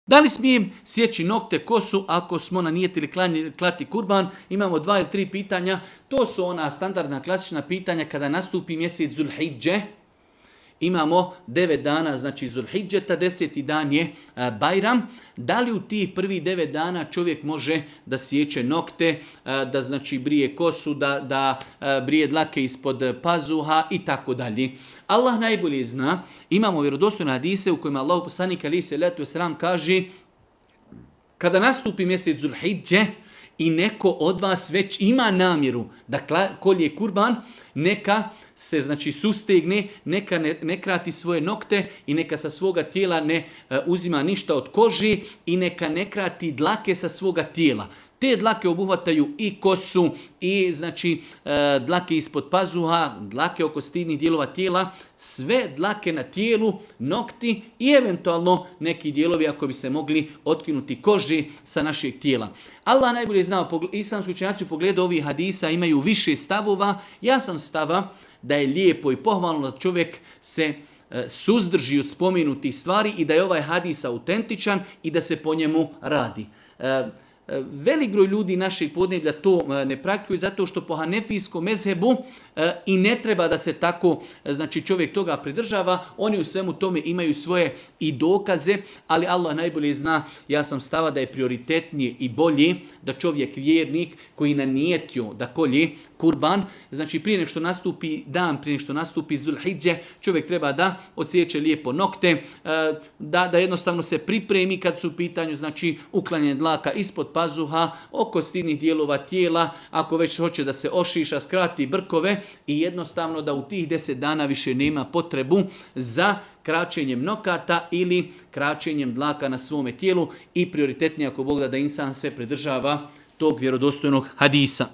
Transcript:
Da li smijem sjeći nokte, kosu ako smo nanijetili klati kurban? Imamo 2 ili 3 pitanja. To su ona standardna klasična pitanja kada nastupi mjesec Zulhidže. Imamo 9 dana, znači Zulhidžeta, 10. dan je Bajram. Da li u tih prvih 9 dana čovjek može da sjeće nokte, da znači brije kosu, da brije dlake ispod pazuha i tako dalje. Allah najbolje zna. Imamo vjerodostojne hadise u kojima Allah poslanik alejhi selatu vesselam kaže kada nastupi mjesec Zulhidže i neko od vas već ima namjeru da kolje kurban, neka se znači sustegne, neka ne krati svoje nokte i neka sa svoga tijela ne uzima ništa od kože i neka ne krati dlake sa svoga tijela. Te dlake obuhvataju i kosu i znači dlake ispod pazuha, dlake oko stidnih dijelova tijela, sve dlake na tijelu, nokti i eventualno neki dijelovi ako bi se mogli otkinuti koži sa našeg tijela. Allah najbolje zna, islamski učenjaci u pogledu ovih hadisa imaju više stavova. Ja sam stava da je lijepo i pohvalno da čovjek se suzdrži od spomenutih stvari i da je ovaj hadis autentičan i da se po njemu radi. Velik broj ljudi našeg podneblja to ne praktikuju zato što po hanefijskom mezhebu i ne treba da se tako znači čovjek toga pridržava. Oni u svemu tome imaju svoje i dokaze, ali Allah najbolje zna. Ja sam stava da je prioritetnije i bolje da čovjek vjernik koji nanijetio da kolje kurban, znači prije nego što nastupi dan, prije nego što nastupi Zulhidže, čovjek treba da odsjeće lijepo nokte, da jednostavno se pripremi kad su u pitanju znači uklanjanje dlaka ispod pazuha, oko stidnih dijelova tijela, ako već hoće da se ošiša, skrati brkove i jednostavno da u tih 10 dana više nema potrebu za kraćenjem nokata ili kraćenjem dlaka na svome tijelu i prioritetnije ako Bog da insan se pridržava tog vjerodostojnog hadisa.